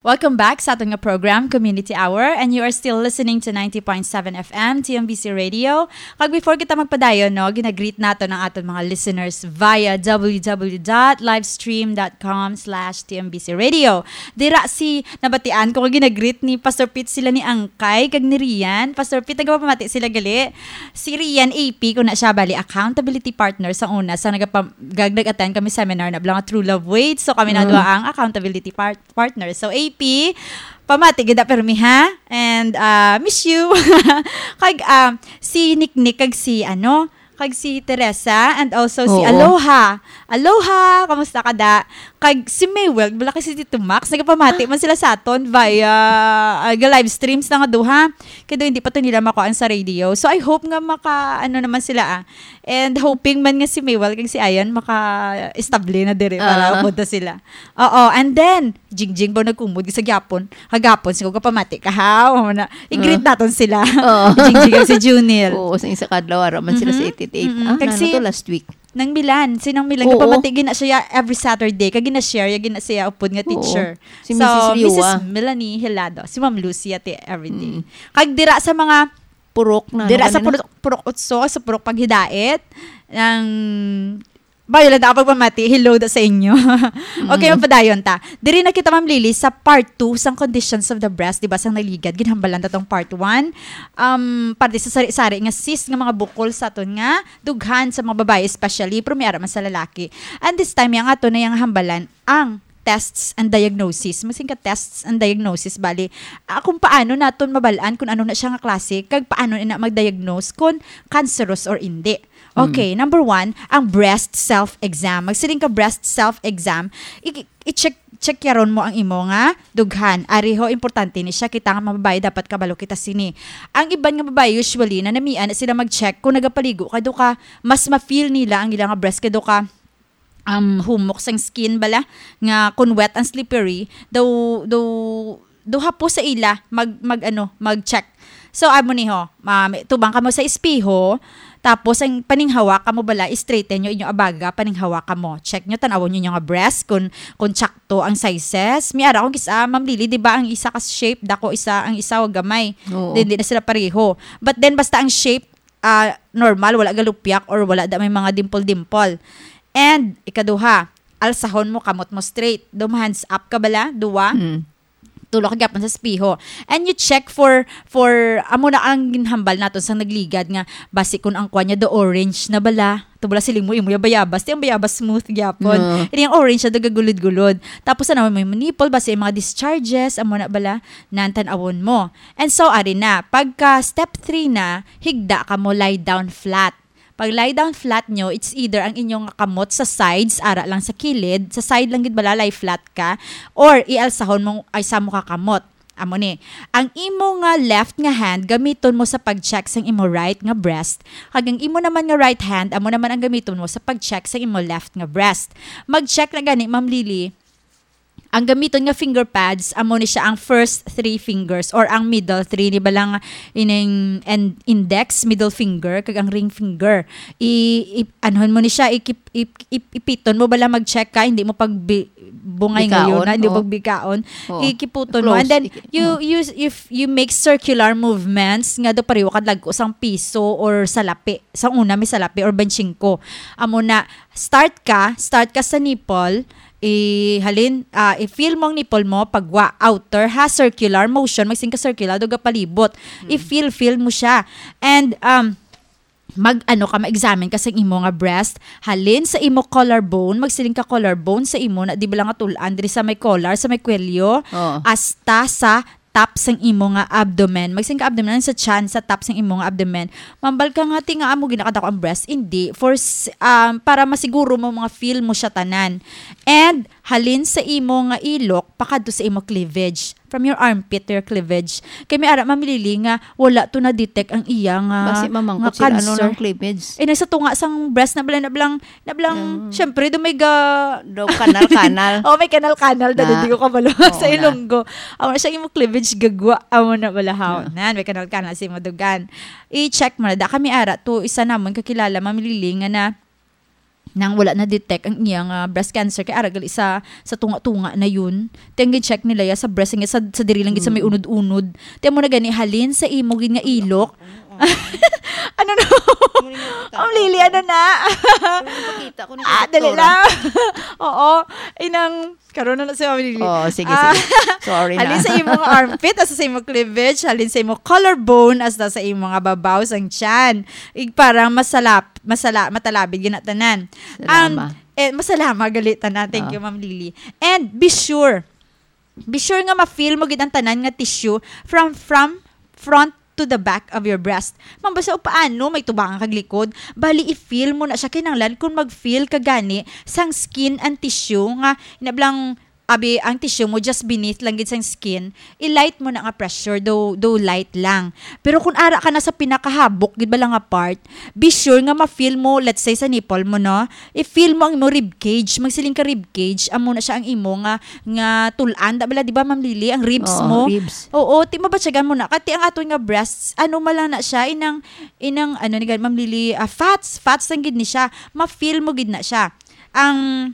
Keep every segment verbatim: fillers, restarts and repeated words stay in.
Welcome back sa aton nga program, Community Hour, and you are still listening to ninety point seven F M, T M B C Radio. Kag before kita magpadayon, no, ginagreet naton ang aton mga listeners via w w w dot livestream dot com slash T M B C Radio. Dira si, nabatian ko nga ginagreet ni Pastor Pete sila ni Angkay kag ni Rian. Pastor Pete, nagapamati sila gali. Si Rian A P, kung na siya, bali, accountability partner sa una, sa nagapa-, gag-, nag-attend kami seminar na bala nga True Love Waits. So, kami na Mm. duha ang accountability part-, partner. So, A P, pamati gid, ah, permi, ha? And, ah, miss you. Kag, ah, si Niknik kag si, ano, kag si Teresa, and also si Oo. Aloha. Aloha! Kamusta ka, da? Kag si Maywell, wala kay si Tito Max, nagapamati man sila sa aton via, ah, ga-live streams na nga duha. Kay daw hindi pa to nila makuha ang sa radio. So, I hope nga maka, ano naman sila, ah. And hoping man nga si Maywell kag si Ayan maka-estable na diri para Ah. punta sila. Oo, and then, Jingjing ba nagkumod sa gyapon? Kagapon, siguro ka pamati ka, ha? O na, i-greet Ah. naton sila. Oo. Jingjing kag si Junil. Oo, sa isa ka adlaw, ara man sila sa Mm-hmm. eight eight eight. Mm-mm. Ah, Kag nano si to, last week? Nang Milan, si Nang Milan, Oo. Kapamati, gina siya every Saturday. Kag gina-share, ya gina siya upod nga Oo. teacher. Si So, Missus Liwa. Missus Melanie Hilado, si Ma'am Lucy, ati everyday. Mm. Kag dira sa mga Purok na, Dira ano sa ka na? Purok, Purok Utso, sa Purok Paghidait, ang, bayo lang ako pagpamati, hello da sa inyo. Okay, Mm. mapadayon ta. Diri na kita, Ma'am Lily, sa part two sang conditions of the breast, di ba, sang nagligad, ginhambalan ta tong part one. Um, parte sa sari-sari nga cyst nga mga bukol sa aton nga dughan sa mga babayi especially, pero may ara man sa lalaki. And this time, yang ato na yang hambalan, ang tests and diagnosis. Masin ka tests and diagnosis, bali, ah, kung paano naton mabal-an kung ano na siya nga klase, kag paano na mag-diagnose kung cancerous or hindi. Mm. Okay, number one, ang breast self-exam. Magsiling ka breast self-exam, i-, i-check, check yaron mo ang imo nga dughan. Ariho, importante ni siya. Kita nga mga babae, dapat kabalo kita sini. Ang iban nga babae, usually, nanamian na sila mag-check kung nagapaligo, kay do ka, mas ma-feel nila ang ila nga breast, kay do ka, um, humok sang skin bala, nga kung wet and slippery, daw, daw, daw hapos sa ila mag, mag, ano, mag-check. So, amo ni ho, ma-, tubang kamo sa espeho, tapos ang paninghawak kamo bala, straighten nyo inyo abaga, paninghawak kamo. Check nyo, tan-awon nyo inyo nga breast, kung, kung tsakto ang sizes. May ara akong kis-, ah, Ma'am Lily, di ba, ang isa ka shape, dako, isa, ang isa, gamay. Oo. Then, di na sila pareho. But then, basta ang shape, ah, normal, wala galupyak or wala da may mga dimple-dimple. And ikaduha, alsahon mo kamot mo straight. Dum hands up ka bala, duwa. Mm. Tulo ka gyapon sa espeho. And you check for, for, amo na ang ginhambal naton sa nagligad nga basi kun ang kwan niya do orange na bala. Tubula siling mo, imo yung bayabas. Di ang bayabas smooth gyapon. No. Ini ang orange na gagulod-gulod. Tapos na naman may nipple, basi yung mga discharges, amo na bala, nan tan-awon mo. And so, ari na. Pagka step three na, higda ka mo, lie down flat. Pag lie down flat nyo, it's either ang inyong kamot sa sides, ara lang sa kilid, sa side lang gid bala, lie flat ka, or ialsahon mo ay sa mo ka kamot. Amo ni, ang imo nga left nga hand gamiton mo sa pag-check sang imo right nga breast, kag ang imo naman nga right hand amo naman ang gamiton mo sa pag-check sang imo left nga breast. Mag-check na gani, Ma'am Lily, ang gamiton nga finger pads, amo ni siya ang first three fingers or ang middle three, di ba lang, ining en-, index, middle finger, kag ang ring finger. I, i, anhon mo ni siya, ikip-, ip-, ip-, ipiton mo bala, mag-check ka, hindi mo pag bi-, bungay Bikaon, ngayon na, hindi mo oo. pagbikaon. Oo. Ikiputon mo. Close, And then, iki-, you, oo. you, if you make circular movements, nga do pareho kadlagko sang piso or salapi. Sa una, may salapi or benching ko. Amo na, start ka, start ka sa nipple, i-, halin, ah, i-feel mo ang nipple mo, pagwa, outer, ha, circular motion, magsing ka circular, do gapalibot. Mm. I-feel, feel mo siya. And, um, mag, ano ka, ma-examine ka sa imo nga breast, halin sa imo collarbone, magsiling ka collarbone sa imo, na di ba lang nga tul-an, diri sa may collar, sa may kwelyo, Oo. hasta sa top sang imo nga abdomen. Magsiling ka abdomen, sa chan, sa top sang imo nga abdomen. Mambal ka nga, "Ti nga amo ginakadako ang breast." Hindi. For s-, um, para masiguro mo, mga feel mo siya tanan. And, halin sa imo nga ilok, pakadto sa imo cleavage. From your armpit to your cleavage. Kay may ara, Ma'am Lily, nga wala to na-detect ang iya nga, Basi mamangkot nga sila, ano cancer. Ng cleavage? Eh, nasa tunga sang breast na bala, na bala, na bala, Mm. syempre, do may ga- Daw kanal-kanal. Oh, may kanal-kanal, Na. Dadi ko kabalo Oo, sa na. Ilonggo. Amo na siya, imo cleavage gagwa. Amo na bala, haw. Oo. Nan, may kanal-kanal sa imo dugan. I-check mo na. Da kami ara, to isa namon kakilala, Ma'am Lily, nga na, nang wala na detect ang iyang, ah, breast cancer, kay ara gali sa, sa tunga-tunga na yun. Ti ang gin-check nila ya sa breast, nga sa, sa diri lang gid sa may Mm. unod-unod. Ti amo na gani, halin sa imo gid nga ilok. Ano na? Muli nga Ang lili, ano na? Pero nagpakita ko ni Ah, dali doktora. lang. Oo. Inang, karon na na si Ma'am Lily. Oh, sige, Ah, sige. Sorry na. halin sa imo nga armpit, hasta sa imo cleavage, halin sa imo collarbone, hasta sa imo nga babaw sang tiyan. Ig parang masalap-, masala-, matalabid gina tanan. Ang, Salama. eh, masalama gali tanan. Thank Oh. you, Ma'am Lily. And be sure, be sure nga ma-feel mo gid ang tanan nga tissue from, from front to the back of your breast. Ma'am, basta o paano, may tubangan kag likod. Bali, i-feel mo na siya. Kinahanglan kung mag-feel ka gani sang skin and tissue nga, inablang, abi, ang tissue mo just beneath lang gid sang skin, i-light mo na nga pressure, do, do light lang. Pero kung ara ka na sa pinakahabok gid bala nga part, be sure nga ma-feel mo, let's say, sa nipple mo, no? I-feel mo ang imo rib cage. Magsiling ka rib cage, amo na siya ang imo nga, nga tul-an. Da bala, di ba, Ma'am Lily, ang ribs Oo, mo? ribs. Oo, ti mabatyagan mo na. Kati ang aton nga breasts, ano man lang na siya, inang, inang, ano ni Ma'am Lily, ah, fats, fats lang gid ni siya. Ma-feel mo gid na siya. Ang,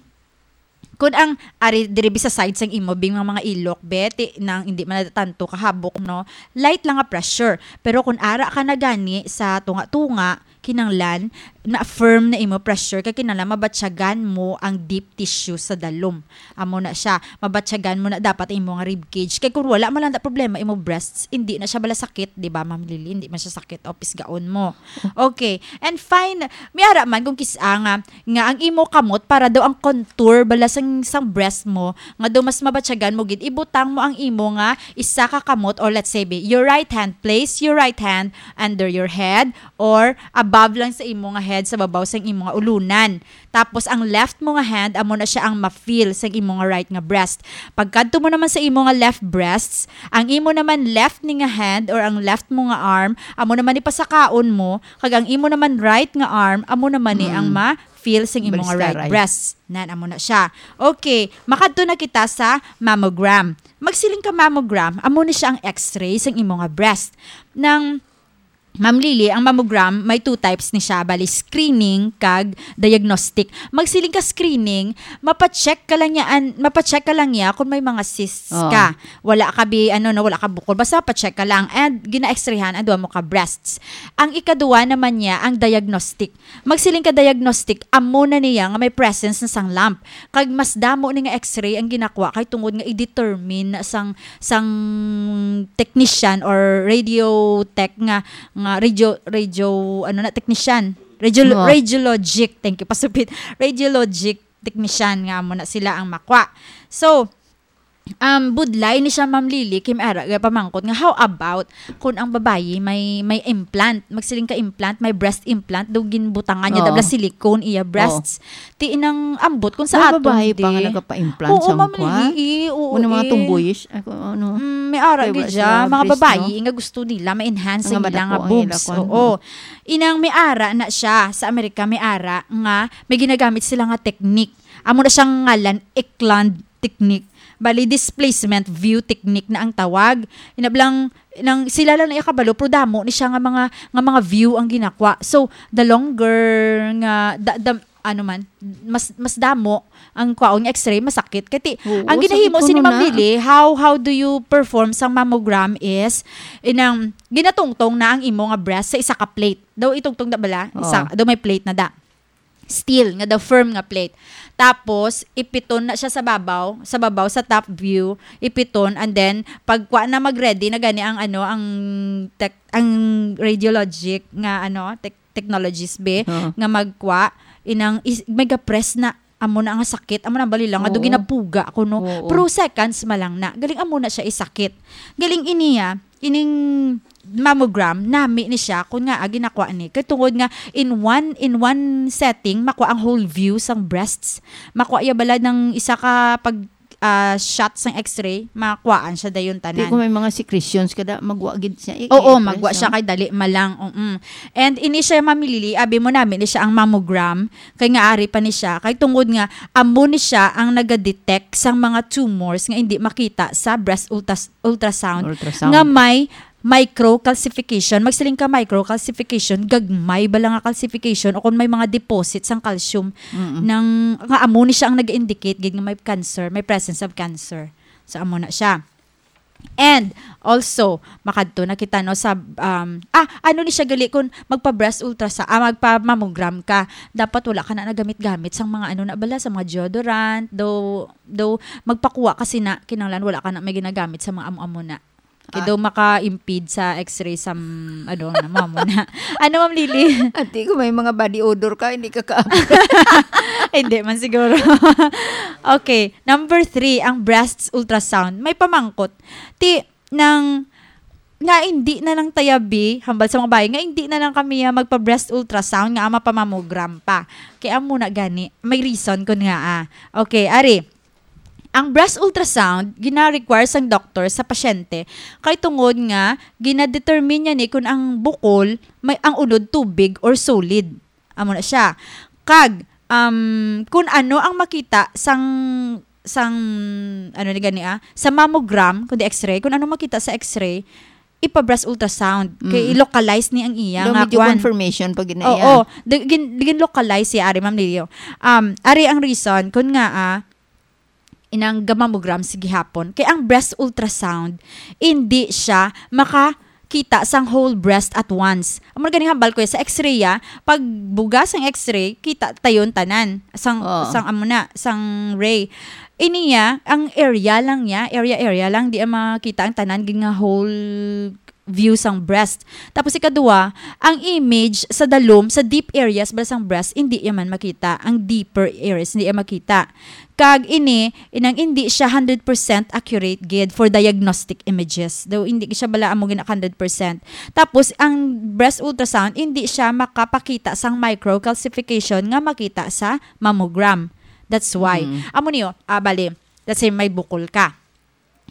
kun ang, ari, diri bi sa side sang imo, bing mga, mga ilok, be, ti, nang hindi man na tanto kahabok, no? Light lang nga pressure. Pero kung ara ka na gani sa tunga-tunga, kinanglan na firm na imo pressure, kay kinanglan mabatyagan mo ang deep tissue sa dalom. Amo na siya, mabatyagan mo na dapat imo nga rib cage. Kay kung wala man lang na problema imo breasts, hindi na siya bala sakit, di ba, Ma'am Lily? Hindi man siya sakit o pisgaon mo. Okay. And fine, may ara man kung kis-a nga, nga ang imo kamot para daw ang contour bala sang, sang breast mo, nga daw mas mabatyagan mo gid, ibutang mo ang imo nga isa ka kamot, or let's say, be, your right hand, place your right hand under your head or above lang sa imo nga head, sa babaw sang imo nga ulunan. Tapos ang left mo nga hand, amo na siya ang ma-feel sa imo nga right nga breast. Pagkadto mo naman sa imo nga left breasts, ang imo naman left ni nga hand or ang left mo nga arm, amo naman ni pasakaon mo, kag ang imo naman right nga arm, amo naman ni ang Mm. ma-feel sa imo nga Breast ka, right right. breast. Nan, amo na siya. Okay, makadto na kita sa mammogram. Magsiling ka mammogram, amo ni siya ang x-ray sa imo nga breast. Nang Ma'am Lily, ang mammogram may two types ni siya, bali screening kag diagnostic. Magsiling ka screening, mapa-check ka lang niya, an, mapa-check ka lang niya kung may mga cysts Oo. ka. Wala ka bi, ano, no, wala ka bukol. Basta pa-check ka lang. And gina-x-rayhan ang duha mo ka breasts. Ang ikaduha naman niya, ang diagnostic. Magsiling ka diagnostic, amo na niya nga may presence na sang lump. Kag mas damo ni nga x-ray ang ginakwa kay tungod nga i-determine na sang, sang technician or radio tech nga, nga radio, radio, ano na, technician. Radio, Oo. Radiologic. Thank you, Pastor Pete. Radiologic technician nga amo na sila ang makwa. So, um, budlay ni siya, Ma'am Lily, kay may ara, pamangkot nga, how about kung ang babayi may, may implant, magsiling ka implant, may breast implant, daw ginbutangan niya, Oo. dabla silicone iya Oo. breasts. Ti inang ambot kung sa May aton babayi pa nga di. nagapa-implant Oo, sa Ma'am kwa? Lily, eh, oo, Muna mga eh. tomboyish, ako, ano, Mm, may ara Kay gid wala siya, sila mga breast, babayi no? nga gusto nila ma-enhance Nga ang ila madako nga ang boobs. ila kwan, Oo. oo. Inang may ara na siya sa Amerika, may ara nga may ginagamit sila nga technique. Amo na siyang ngalan, Eklund technique. Bali, displacement view technique na ang tawag. Inablang, nang sila lang na iya kabalo, pero damo ni siya nga mga, nga mga view ang ginakwa. So, the longer nga, the, the, ano man, mas, mas damo ang kwaon nga x-ray, masakit. Kati, Oo, ang sakit ginahimo ko sini nun Ma'am na. Lily, how, how do you perform sang mammogram is, inang, ginatungtong na ang imo nga breast sa isa ka plate. Daw itungtong na bala? Isa, Oo. daw may plate na da. Steel nga, the firm nga plate. Tapos, ipiton na siya sa babaw, sa babaw, sa top view, ipiton, and then, pagkwa na mag-ready na gani ang, ano, ang tech-, ang radiologic nga, ano, tech-, technologies, be, Oo. nga magkwa, inang is-, mega press na, amo na nga sakit, amo na bali lang, nga do Oo. ginapuga ko, no? Oo. Pero seconds ma lang na. Galing amo na siya isakit. Galing iniya, ining mammogram, nami ni siya, kung nga, ah, ginakwa ni. Kay tungod nga, in one, in one setting, makwa ang whole view sang breasts. Makwa iya bala ng isa ka pag, ah, shot sang x-ray, makwaan siya dayon Di tanan. ko may mga secretions kada, magwa gid siya. I-, Oo, i-press, magwa siya no? kay dali malang. Mm. And ini siya, Ma'am Lily, abi mo nami ni siya ang mammogram, kay nga ari pa ni siya, kay tungod nga, amo ni siya ang naga-detect sang mga tumors nga hindi makita sa breast ultras-, ultrasound, Ultrasound. nga may microcalcification, magsiling ka microcalcification, gagmay bala nga calcification, o kung may mga deposit sang calcium, Mm-mm. nang, nga amo ni siya ang nag-indicate gid nga may cancer, may presence of cancer. So, amo na siya. And also, makadto na kita, no, sa, um, ah, ano ni siya gali kung magpa-breast ultrasound, ah, magpa-mammogram ka, dapat wala ka na nagamit-gamit sang mga ano na bala, sa mga deodorant, though, though magpakuha kasi na, kinahanglan wala ka na may ginagamit sa mga amo-amo na. Kay Ah. daw maka-impede sa X-ray sa, mm, ano, na, amo-amo na. Ano, Ma'am Lily? Ati, kung may mga body odor ka, hindi ka ka- Hindi man siguro. Okay, number three, ang breast ultrasound. May pamangkot. Ti, nang, nga hindi na lang tayabi, hambal sa mga bayi, nga hindi na lang kami, ah, magpa-breast ultrasound, nga mapa-mammogram pa. Kaya amo na gani, may reason kun nga, ah. Okay, ari. Ang breast ultrasound, gina-require sang doktor sa pasyente, kay tungod nga, gina-determine niya ni kung ang bukol, may, ang unod tubig or solid. Amo na siya. Kag, um, kung ano ang makita sang, sang, ano ni gani, ah, sa mammogram, kundi X-ray, kung ano makita sa X-ray, ipa-breast ultrasound. Kay Mm. i-localize ni ang iya Daw nga medyo kwan. confirmation pag gina-, Oo, yeah. di-, gin-, gin-localize siya, ari, Ma'am Lily. Um, ari ang reason, kung nga, ah, inang ga-mammogram sa gihapon. Kay ang breast ultrasound, hindi siya makakita sang whole breast at once. Amo na ganing hambal ko, sa X-ray, ah, pag buga sang X-ray, kita tayon tanan sang, Oo. sang amo na, sang ray. Ini ya, ang area lang niya, area, area lang, di ang makita ang tanan gid nga whole view sang breast. Tapos ikadua, ang image sa dalom, sa deep areas ba sang breast, hindi ya man makita. Ang deeper areas, hindi ya makita. Kag ini, inang hindi siya hundred percent accurate gid for diagnostic images. Daw hindi siya bala amo gina hundred percent. Tapos, ang breast ultrasound, hindi siya makapakita sang microcalcification nga makita sa mammogram. That's why. Mm. Amo niyo, ah, bali, let's say, may bukol ka.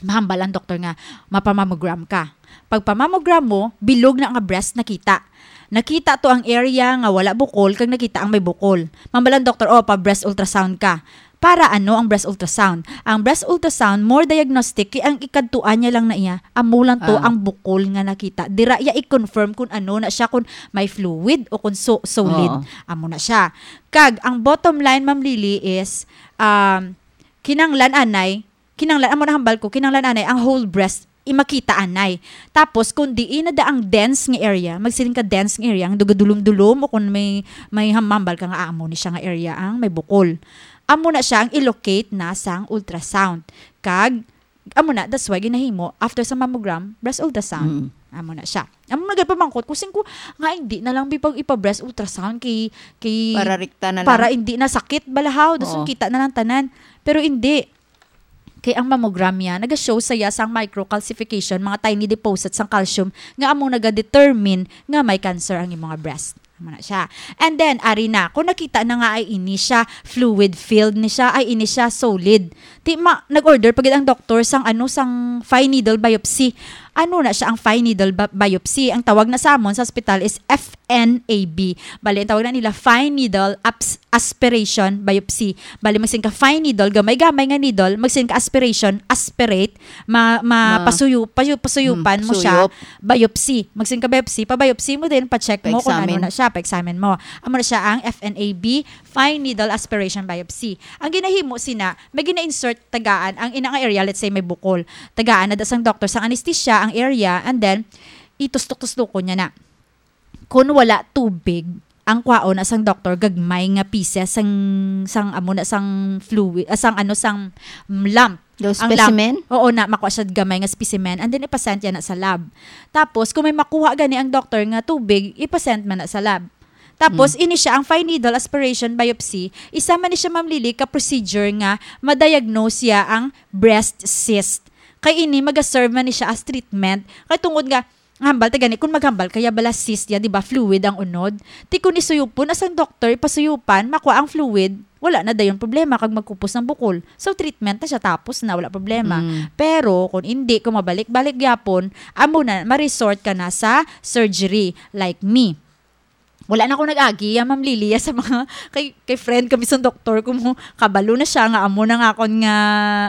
Mahambal ang doktor nga mapamammogram ka. Pagpamammogram mo, bilog na nga breast nakita. Nakita to ang area nga wala bukol, kag nakita ang may bukol. Mahambal ang doktor, "Oh, pa-breast ultrasound ka." Para ano ang breast ultrasound? Ang breast ultrasound, more diagnostic, kay ang ikadtuan niya lang na iya, amo lang to Ah. ang bukol nga nakita. Dira iya i-confirm kung ano na siya, kung may fluid o kung so-, solid. Oo. Amo na siya. Kag, ang bottom line, Ma'am Lily, is, um, kinanglan anay, kinanglan, amo na hambal ko, kinanglan anay ang whole breast, imakita anay. Tapos, kung diin na da ang dense nga area, magsiling ka dense nga area, ang dugadulom-dulom, o kung may, may ham-, hambal ka nga, "Ah, amo ni siya nga area ang may bukol." Amo na siya ang i-locate na sang ultrasound. Kag, amo na, that's why ginahimo, after sa mammogram, breast ultrasound. Mm. Amo na siya. Amo na gid pamangkot ko, sing ko, nga hindi na lang bi pag ipa-breast ultrasound kay, kay Para rekta na lang. Para hindi na sakit, balahaw, dason Oo. kita na lang tanan. Pero hindi. Kay ang mammogram niya, naga-show sa iya sang microcalcification, mga tiny deposits sang calcium, nga amo naga-determine nga may cancer ang imong breast. Amo na siya. And then, ari na, kung nakita na nga ay ini siya fluid filled ni siya, ay ini siya solid. Ti ma-, nag-order pa gid ang doktor sang ano, sang fine needle biopsy. Ano na siya ang fine needle ba-, biopsy? Ang tawag na sa amon sa ospital is F N A B. Bali, ang tawag na nila fine needle abs-, aspiration biopsy. Bali, magsin ka fine needle, gamay-gamay nga needle, magsin ka aspiration, aspirate, ma-, ma-, Ma- pasuyu-, payu-, pasuyupan Hmm, mo siya, suyop. Biopsy. Magsin ka biopsy, pa-biopsy mo din, pa-check mo kung ano Pa-examine. Na siya, pa-examine mo. Amo na siya ang F N A B, fine needle aspiration biopsy. Ang ginahimo sina, may gina-insert tagaan ang ina nga area, let's say may bukol. Tagaan na da sang doktor sang anesthesia ang area, and then itustok-tustukon niya na. Kung wala tubig, ang kwaon na sang doktor gagmay nga pieces sang, sang amo na sang fluid, ah, sang ano, sang lump. Daw Ang lump. Specimen? Oo na, makuha siya gamay nga specimen and then ipasend niya na sa lab. Tapos, kung may makuha gani ang doktor nga tubig, ipasend man na sa lab. Tapos, Hmm. Ini siya ang fine needle aspiration biopsy. Isa man ni siya, Ma'am Lily, ka procedure nga ma-diagnose siya ang breast cyst. Kay ini, maga-serve man ni siya as treatment. Kay tungod nga, hambal ta gani, kung maghambal kaya bala cyst ya, di ba, fluid ang unod. Ti kung isuyupon na sang doktor, ipasuyupan, makuha ang fluid, wala na dayon problema kag magkupos ang bukol. So, treatment na siya, tapos na, wala problema. Mm. Pero, kung hindi, kung mabalik-balik gyapon, amo na, ma-resort ka na sa surgery, like me. Wala na ako nag-agi, ya, Ma'am Lilia, sa mga, kay, kay friend kami sa doktor, kung mo, kabalo na siya nga, amo na nga akon nga,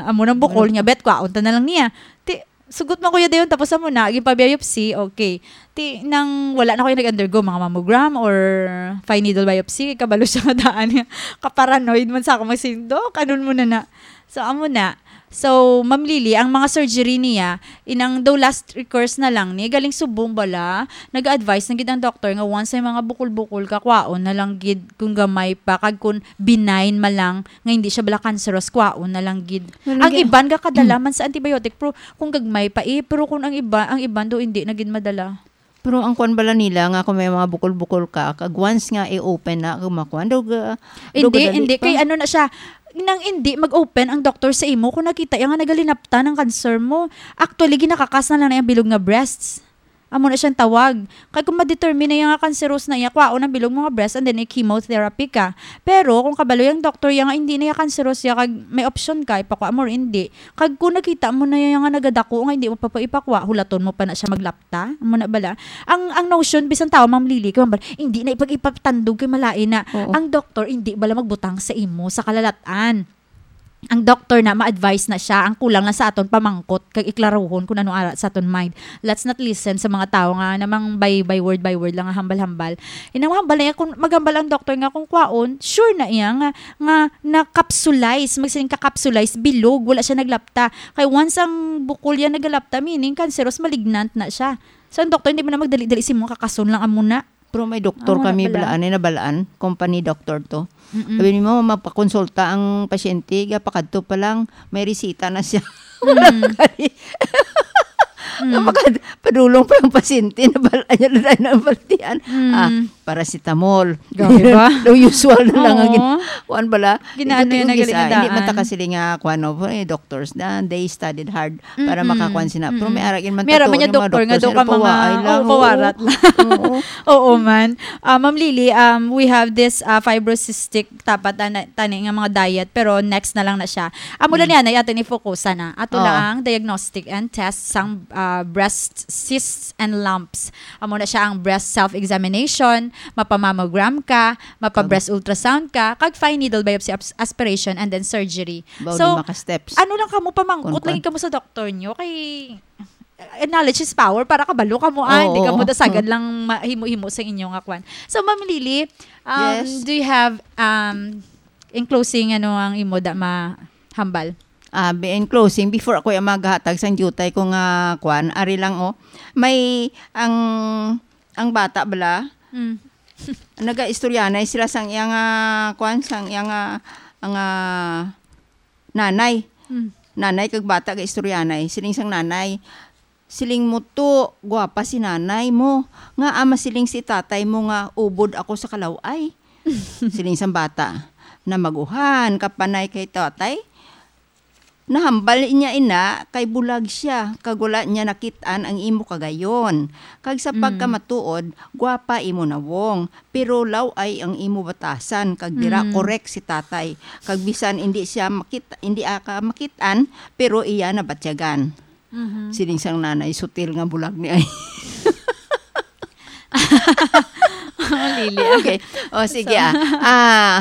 amo nang bukol Wala. Niya, bet, kwaon ta na lang niya. Ti, Sugot man kuya dayon, tapos amo na, ginpa-biopsy, okay. Ti, nang wala na ko yung nag-undergo, mga mammogram or fine needle biopsy, kabalo siya nga daan. Kaparanoid man sa ako, magsiling, "Dok, anon mo na na?" So, amo na. So, Ma'am Lily, ang mga surgery niya, inang daw last recourse na lang ni, galing subong bala, nag-advise na gid ang doktor nga once may mga bukol-bukol ka, kwaon na lang gid kung gamay pa, kag kung benign man lang, nga hindi siya bala cancerous, kwaon na lang gid. Ano Ang gi- iban ga kadala man sa antibiotic, pero kung gagmay pa eh, pero kung ang iba, ang iban do hindi na gid madala. Pero ang kwan bala nila nga kung may mga bukol-bukol ka, kag once nga i-open na, kung makuan, daw ga-, daw Hindi, gadali hindi. pa. Kay ano na siya, nang hindi mag-open ang doktor sa imo kung nakita iya nga nagalinapta ng cancer mo. Actually, ginakakas na lang na yung bilog nga breasts. Amo na siyang tawag. Kay kung ma-determine na iya nga cancerous na iya, kwaon ang bilog mo nga breast and then i-chemotherapy ka. Pero kung kabalo yung doktor iya nga hindi na iya cancerous iya, kag may option ka, ipakwa mo or hindi. Kag kung nakita mo na iya nga nagadako nga hindi mo pa, pa ipakwa, hulaton mo pa na siya maglapta. Amo na bala. Ang, ang notion, bisan tawo, Ma'am Lily, kay Ma'am Bal-, hindi na ipag-ipatandog kay malain na. Oo. Ang doktor, hindi bala magbutang sa imo, sa kalalatan. Ang doktor na, ma-advise na siya. Ang kulang lang sa aton pamangkot, kag iklaruhon kung ano ara sa aton mind. Let's not listen sa mga tawo nga namang by, by word by word lang nga hambal-hambal. Inang hambal na iya, kung maghambal ang doktor nga kung kwaon, sure na iya nga, nga na-capsulize, magsiling ka-capsulize, bilog, wala siya naglapta. Kay once ang bukol yan nagalapta, meaning cancerous, malignant na siya. So, ang doktor, hindi mo na magdali-dali si mga kakason lang amo na. Pero may doktor Amo na kami bala. balaan, eh, nabalaan, company doctor to. Mm-mm. Sabi nimo, mapakonsulta ang pasyente, gapakadto pa lang, may resita na siya. Mm. Kani, Mm. napakad-, padulong pa ang pasyente, nabalaan niya na ang baltian. Mm. Ah, paracetamol. Grabe ba? Daw usual na lang ang gin-, Oo. kuwan bala. Ginaano Ito yan na tiugis, galing ah, na hindi man ta daan. kasi nga, kuwan, no, eh, doctors na, they studied hard para Mm-mm. makakuan sila. Pero may Mm-mm. aragin man Meron tato man yung yung mga doktor nga doktor daw sila ka mga, pawaay lang, oo, oo. pawarat lang. Oo. Oo man. Ah, Ma'am Lily, um, we have this, ah, fibrocystic, tapat, ah, na, tani nga mga diet, pero next na lang na siya. Amo lang Mm. yan, ay ato ni focusan na. Ato Oo. lang ang diagnostic and test sang, ah, breast cysts and lumps. Amo na siya ang breast self-examination, mapamammogram ka, mapa-breast ultrasound ka, kag fine needle biopsy abs-, aspiration, and then surgery. Baw So, lima ka steps. ano lang kamo, pamangkot Kuan, kuan. lagi kamo sa doktor nyo, kay, uh, knowledge is power, para kabalo kamo, ah, Oo, hindi kamo oo. dasagan lang ma-, himo-himo sa inyo nga kwan. So, Ma'am Lily, um, Yes. do you have, um, in closing, ano ang imo da mahambal? Ah, be-, in closing, before ako yung maghatag sang jutay ko nga kwan, ari lang, oh. May, ang, ang bata bala, Mm. nagaistoryanay sila sang iya nga, kwan, sang iya nga, nga nanay. Mm. Nanay kag bata gaistoryanay. Siling sang nanay, "Siling mo to, gwapa si nanay mo. Nga ama siling si tatay mo nga ubod ako sa kalaw-ay?" Siling sang bata, "Na maguhan ka panay kay tatay? Nahambal niya ina kay bulag siya, kag wala niya nakit-an ang imo kagayon. Kag sa Mm. pagkamatuod, gwapa imo nawong, pero law-ay ang imo batasan, kag dira Mm. korek si tatay. Kag bisan hindi siya makit-, hindi aka makit-an, pero iya nabatyagan." Mhm. Siling sang nanay, "Sutil nga bulag ni ay." Lili, ah. Okay. O, sige, So ah. Ah,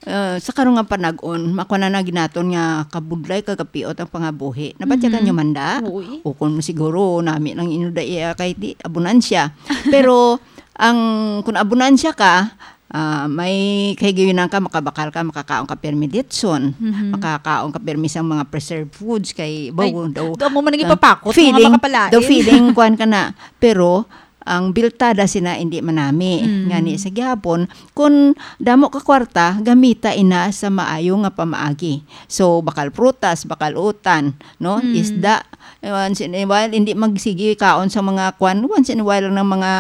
uh, sa karong nga panag-on, makuha na na ginaton nga kabudlay, kagapiot ang pangabuhi. Nabatyagan Mhm. nyo man da? Oo, eh. O kung siguro, nami lang inyo da iya kay di, abunansya. Pero, ang, kung abunansya ka, ah, may kahigayonan ka, makabakal ka, makakaon ka pirmi ditson, Mhm. makakaon ka pirmi sang mga preserved foods, kay Ay, bawo daw, do mo man ang ah, ipapakot, mga feeling, makapalain. daw feeling, kuwan ka na. Pero, ang biltada sina hindi manami. Mm. Ngani sa gihapon, kung damo ka kwarta, gamita ina sa maayo nga pamaagi. So, bakal prutas, bakal utan, no? Mm. Isda. Eh, once in a while, hindi magsigi kaon sa mga kwan. Once in a while lang ng mga,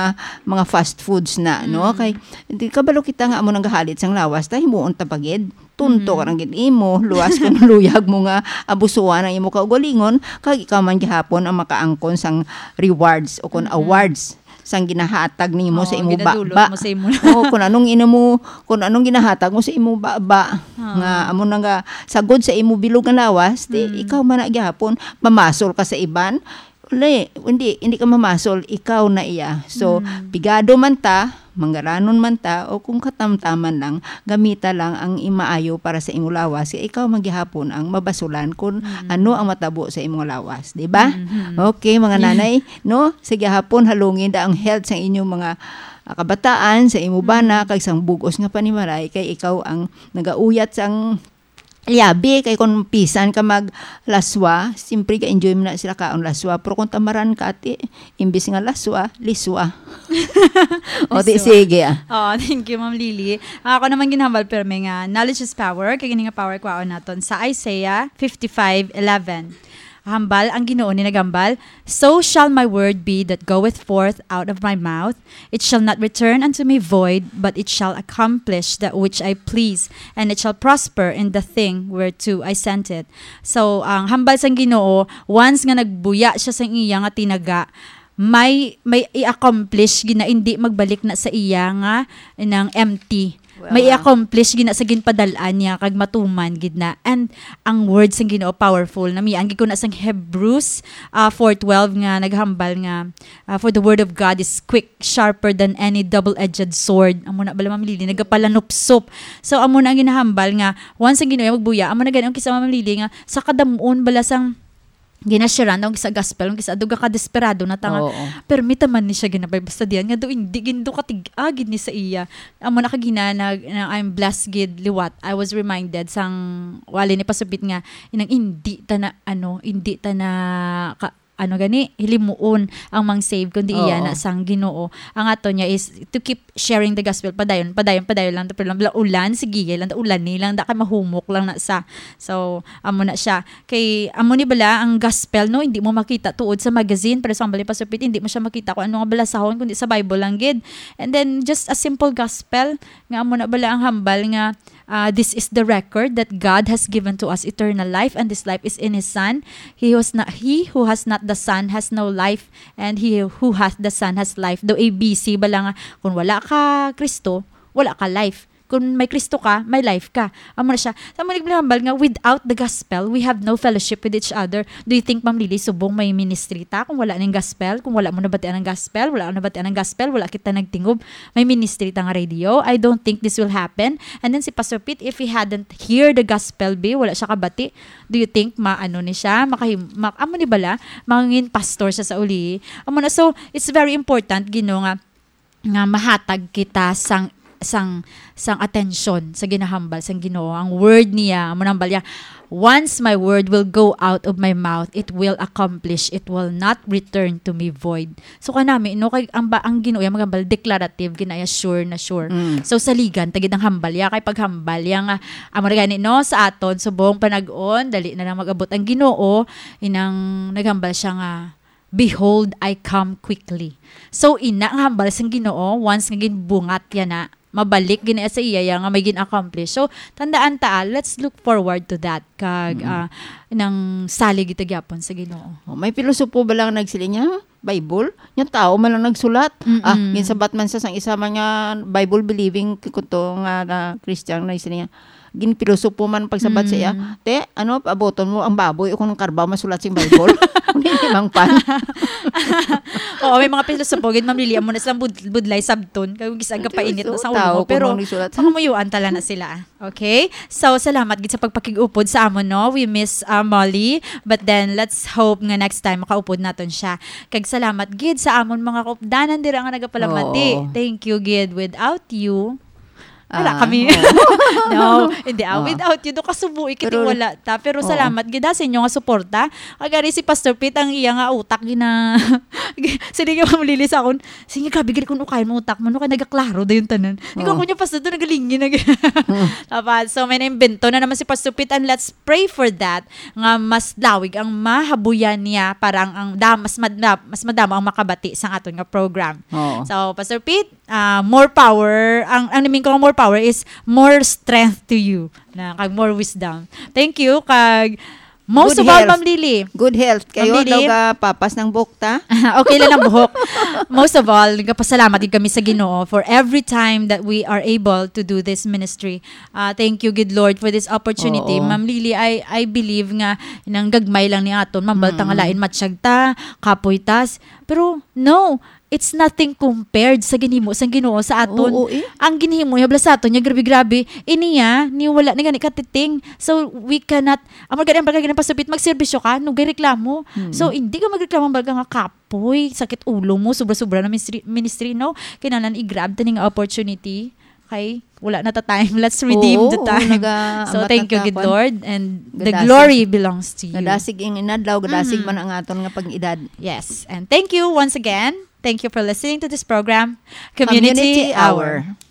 mga fast foods na, no? Mm. Kay, hindi, kabalo kita nga amo nang gahalit sang lawas, ta himuon ta pagid. Tunto Mm. ka lang gid imo, luwas kung luyag mo nga abusuan ang imo kaugalingon, kag ikaw man gihapon ang makaangkon sang rewards o kung Mm-mm. awards sang ginahatag nimo Oo, sa imo ginadulot baba. mo sa imo. Oo, kung anong ina mo, kung anong ginahatag mo sa imo baba, Ah. nga amo na nga sagod sa imo bilog nga lawas, di, Mm. ikaw man na gihapon, mamasol ka sa iban, uli, hindi, hindi ka mamasol, ikaw na iya. So, Mm. pigado man ta, manggaranon man ta o kung katamtaman lang, gamita lang ang imaayo para sa imong lawas, kay ikaw man gihapon ang mabasulan kung Mm. ano ang matabo sa imong lawas, di ba? Mm-hmm. Okay, mga Yeah. nanay, no? Sige hapon, halungin da ang health sa inyong mga, ah, kabataan, sa imo bana, Mm. kag sang bug-os nga panimalay, kay ikaw ang nagauyat sang liabi, kay kung pisan ka maglaswa, siyempre ga-enjoy mo na sila kaon laswa. Pero kung tamaran ka, ati, imbis nga laswa, liswa. O, di, Liswa. sige, ah. Oh, thank you, Ma'am Lily. Ah, ako naman ginhambal, pero may nga, knowledge is power. Kay gini nga power, kwaon naton sa Isaiah fifty-five eleven. Hambal, ang Ginoo ni nagambal, "So shall my word be that goeth forth out of my mouth. It shall not return unto me void, but it shall accomplish that which I please, and it shall prosper in the thing whereto I sent it." So, ang hambal sang Ginoo, once nga nagbuya siya sang iya nga tinaga, may, may i-accomplish gina, hindi magbalik na sa iya nga nang empty. May Wow. i-accomplish gina sa ginpadal-an niya kag matuman gid na. And ang word sang Ginoo powerful. Namian gid ko na sang Hebrews, ah, four twelve nga naghambal nga, ah, "For the word of God is quick, sharper than any double-edged sword." Amo na bala, Ma'am Lily, nagapalanupsop. So, amo na ang ginahambal nga, once ang Ginoo magbuya, amo na gani ang kisa, Ma'am Lily, nga sa kadamuon bala sang ginasharean daw sa gospel, ang kisa, duga ka desperado na ta nga, Oo. permita man ni siya ginabay, basta diyan nga daw, hindi gid daw katig-a gid ni sa iya. Amo na kagina na, na I'm blessed gid liwat. I was reminded sang wali ni Pastor Pete nga, inang hindi ta na, ano, hindi ta na ka, ano gani, hilimuon ang mang save, kundi iya Oo. na sang Ginoo. Ang ato niya is to keep sharing the gospel. Padayon, padayon, padayon lang. Pero lang, ulan, sige, lang, ulan ni lang, da kay mahumok lang na sa. So, amo na siya. Kay, amo ni bala, ang gospel, no, hindi mo makita tuod sa magazine. Pero sa hambal ni Pastor Pete, hindi mo siya makita kung ano nga balasahon, kundi sa Bible lang gid. And then, just a simple gospel, nga amo na bala ang hambal nga, ah, "This is the record that God has given to us eternal life, and this life is in His Son. He who has not, he who has not the Son has no life, and he who hath the Son has life." Daw A B C bala nga, kung wala ka Kristo, wala ka life. Kung may Kristo ka, may life ka. Amo na siya. Sa amo ni hambal nga, without the gospel, we have no fellowship with each other. Do you think, Ma'am Lily, subong may ministry ta kung wala ning gospel? Kung wala mo nabatian ang gospel, wala ka nabatian ang gospel, wala kita nagtingob, may ministry ta nga radio? I don't think this will happen. And then si Pastor Pete, if he hadn't hear the gospel, be, wala siya kabati, do you think maano ni siya? Makahim-, mak-, amo ni bala? Mangin pastor siya sa uli. Amo na, so, it's very important, Gino, nga nga mahatag kita sang, sang, sang atensyon sa ginahambal sang Ginoo. Ang word niya, amo nang balya, "Once my word will go out of my mouth, it will accomplish, it will not return to me void." So, kanami, no, kay ang ba, ang Ginoo ya magambal, declarative, ginaya sure na sure. Mm. So, saligan ta gid ang hambal ya, kay paghambal ya nga, amo na gani, no, sa aton subong panag-on, dali na lang mag-abot ang Ginoo, inang naghambal siya nga, "Behold, I come quickly." So, ina nga hambal sang Ginoo, once nga ginbungat ya na, mabalik gid na sa iya ya nga may gin-accomplish. So, tandaan ta, ah, let's look forward to that. Kag, Mm. ah, nang salig kita gyapon sa Ginoo. Oh, may pilosopo ba lang nagsiling niya? Bible? Nya tao man lang nagsulat. Mm-mm. Ah, ginsabat man sa sang isa man nga Bible believing kuto nga na Christian na siling niya. Ginpilosopo man pagsabat sa iya, Mm. "Te, ano, paaboton mo ang baboy o kung karbaw masulat sing Bible?" Hindi mang pan. Oo, may mga pilosopo gid, Ma'am Lily, amo na silang bud-, budlay sabton. Kay gis-, aga pa init na sa Pilosopo, ulo mo, tao, pero kung ano sulat. Pangamuyuan tala na sila. Okay? So, salamat gid sa pagpakig-upod sa amon, no? We miss, uh, Molly, but then let's hope nga next time makaupod naton siya. Kag salamat gid sa amon mga kaupdanan dira nga nagapalamati. Oo. Thank you gid. Without you, wala Ah, kami. oo. No, hindi, ah, Oo. without you, do kasubuhi kiti Pero, wala ta. Pero oo. salamat gid, ha, sa inyo nga suporta. Agari si Pastor Pete, ang iya nga utak, gina-, sige nga mamulili sa akon. Sige, grabe gid kung ukayan mo utak mo, no, kay nagaklaro da yung tanan. Ikaw Oo. ko niya, Pastor, to nagalingin na gid. Mm. Dapat, so, may naimbento na naman si Pastor Pete, and let's pray for that, nga mas lawig ang mahabuyan niya para ang, ang da-, mas mad-, mas madamo ang makabati sa aton nga program. Oo. So, Pastor Pete, ah, more power. Ang, ang mean ko nga more power is more strength to you. Na, kag more wisdom. Thank you. Kag most Good of all, health. Ma'am Lily. Good health. Kayo Ma'am Lily. daw ga papas ng buhok ta? Okay lang ang buhok. Most of all, nagpasalamat gid kami sa Ginoo for every time that we are able to do this ministry. Ah, thank you, good Lord, for this opportunity. Oo. Ma'am Lily, I, I believe nga nang gagmay lang ni aton, mambal ta nga Mm. lain matsyag ta, kapoy tas, Pero no, it's nothing compared sa ginhimo sang Ginoo sa aton. Oo, eh. Ang ginhimo niya bala sa aton niya, grabe-grabe. Iniya, ni wala na gani katiting. So we cannot, ang mga gani, ang mga gani pasabit, magserbisyo ka, no, gay reklamo. Hmm. So hindi ka magreklamo, baga nga kapoy, sakit ulo mo, sobra-sobra na ministry, ministry, no? Kinahanglan i-grab ta ning opportunity. Kay wala na ta time. Let's redeem Oo, the oo, time. naga-, So ambat thank na you, ta, good kwan. Lord, and the Gadasig. Glory belongs to you. Gadasig ing inadlaw, gadasig Mhm. man ang aton nga pag-edad. Yes. And thank you once again. Thank you for listening to this program, Community, Community Hour. Hour.